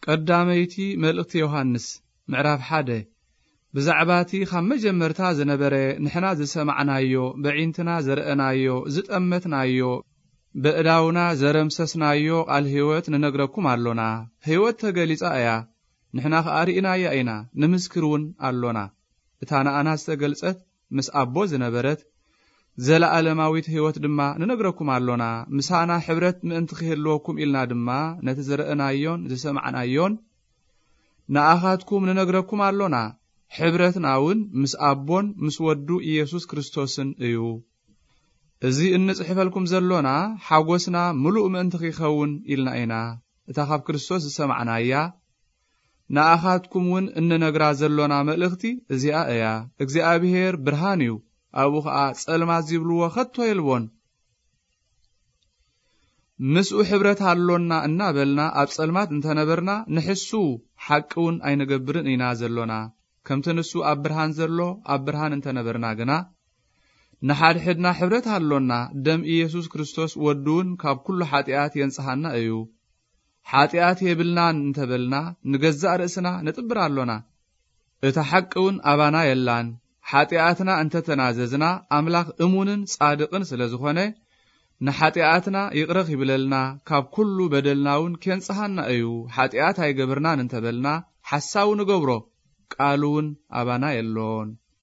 ቀዳመይቲ መልእኽቲ ዮሃንስ ምዕራፍ ሓደ። ብዛዕባ እቲ ካብ መጀመርታ ዝነበረ ንሕና ዝሰማዕናዮ፣ በዒንትና ዝረኣናዮ፣ ዝጠመትናዮ፣ በእዳውና ዘረምሰስናዮ ቃል ህይወት ንነግረኩም ኣሎና። ህይወት ተገሊጻ እያ፣ ንሕና ኸኣ ርኢናያ ኢና፣ ንምስክር እውን ኣሎና። እታ ንኣና ዝተገልጸት ምስ ኣቦ ዝነበረት ዘለኣለማዊት ህይወት ድማ ንነግረኩም ኣሎና። ምሳና ሕብረት ምእንቲ ክህልወኩም ኢልና ድማ ነቲ ዝረኣናዮን ዝሰማዕናዮን ንኣኻትኩም ንነግረኩም ኣሎና። ሕብረትና እውን ምስ ኣቦን ምስ ወዱ ኢየሱስ ክርስቶስን እዩ። እዚ እንጽሕፈልኩም ዘሎና ሓጎስና ምሉእ ምእንቲ ኺኸውን ኢልና ኢና። እታ ካብ ክርስቶስ ዝሰማዕናያ ንኣኻትኩም እውን እንነግራ ዘሎና መልእኽቲ እዚኣ እያ። እግዚኣብሔር ብርሃን እዩ፣ ኣብኡ ኸኣ ጸልማት ዚብልዎ ኸቶ የልቦን። ምስኡ ሕብረት ኣሎና እናበልና ኣብ ጸልማት እንተነበርና፣ ንሕሱ ሓቂ እውን ኣይንገብርን ኢና ዘሎና። ከምቲ ንሱ ኣብ ብርሃን ዘሎ ኣብ ብርሃን እንተነበርና ግና፣ ንሓድሕድና ሕብረት ኣሎና። ደም ኢየሱስ ክርስቶስ ወዱ እውን ካብ ኩሉ ሓጢኣት የንጽሃና እዩ። ሓጢኣት የብልናን እንተበልና፣ ንገዛእ ርእስና ነጥብር ኣሎና። እታ ሓቂ እውን ኣባና የላን። ሓጢኣትና እንተተናዘዝና፣ ኣምላኽ እሙንን ጻድቕን ስለ ዝኾነ፣ ንሓጢኣትና ይቕረ ኺብለልና፣ ካብ ኩሉ በደልና እውን ኬንጽሃና እዩ። ሓጢኣት ኣይገብርናን እንተበልና፣ ሓሳዊ ንገብሮ፣ ቃሉ እውን ኣባና የሎን።